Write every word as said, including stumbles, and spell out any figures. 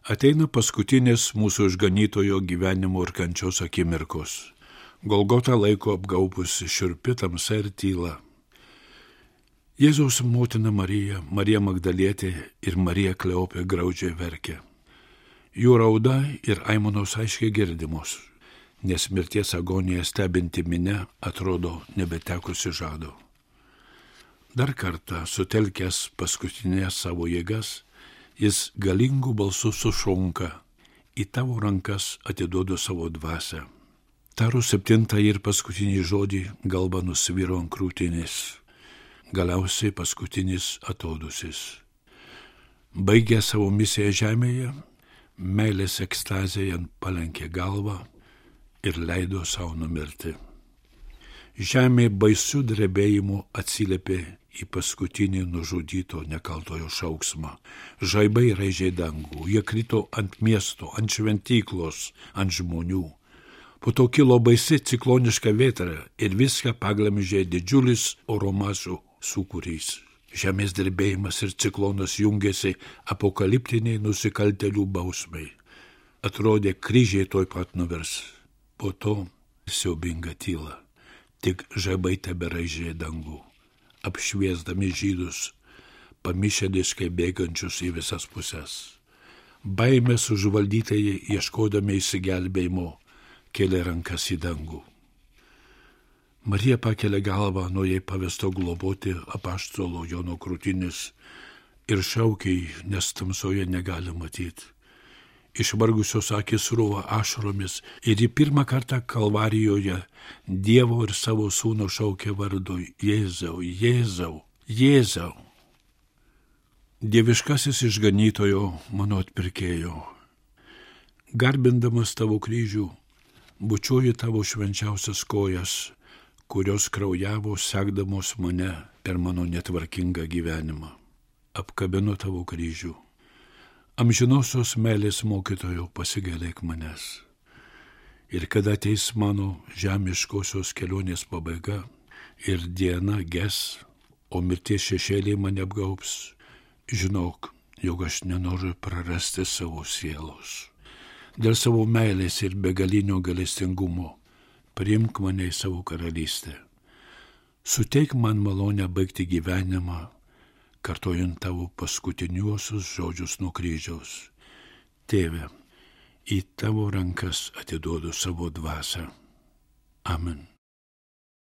Ateina paskutinės mūsų išganytojo gyvenimo ir kančios akimirkos. Golgotą laiko apgaubusi šiurpi tamsa ir tyla. Jėzaus motina Marija, Marija Magdalietė ir Marija Kleopė graudžiai verkė. Jų rauda ir aimanos aiškiai girdimos, nes mirties agoniją stebinti minia atrodo nebetekusi žado. Dar kartą sutelkęs paskutinės savo jėgas, jis galingų balsų sušunka, į tavo rankas atiduodu savo dvasią. Tarus septintąjį ir paskutinį žodį galva nusviro ant krūtinės. Galiausiai paskutinis atodusis. Baigė savo misiją žemėje, meilės ekstazėje palenkė galvą ir leido savo numirti. Žemė baisių drebėjimų atsiliepė į paskutinį nužudyto nekaltojo šauksmą. Žaibai raižė dangų, jie krito ant miesto, ant šventyklos, ant žmonių. Po to kilo baisi cikloniška vėtra ir viską paglamžė didžiulis oro masių sūkurys. Žemės drebėjimas ir ciklonas jungėsi apokaliptiniai nusikaltėlių bausmai. Atrodė, kryžiai toj pat nuvers. Po to siaubinga tyla. Tik žaibai teberaižė dangų, apšviesdami žydus, pamišėliškai bėgančius į visas pusės. Baimės užvaldytieji, ieškodami išsigelbėjimo, kėlė rankas į dangų. Marija pakelia galvą nuo jai pavesto globoti apaštalo Jono krūtinės ir šaukiai, nes tamsoje negali matyti. Išvargusios akis srūva ašaromis ir į pirmą kartą Kalvarijoje Dievo ir savo sūno šaukė vardu Jėzau, Jėzau, Jėzau. Dieviškasis išganytojo, mano atpirkėjo, garbindamas tavo kryžių, bučiuoju tavo švenčiausias kojas, kurios kraujavo sekdamos mane per mano netvarkingą gyvenimą. Apkabinu tavo kryžių. Amžinosios meilės mokytojo, pasigailėk manęs. Ir kada ateis mano žemiškosios kelionės pabaiga ir diena ges, o mirties šešėliai mane apgaubs, žinok, jog aš nenoriu prarasti savo sielos. Dėl savo meilės ir begalinio gailestingumo priimk mane į savo karalystę. Suteik man malonę baigti gyvenimą, kartojant tavo paskutiniuosius žodžius nuo kryžiaus. Tėve, į tavo rankas atiduodu savo dvasią. Amen.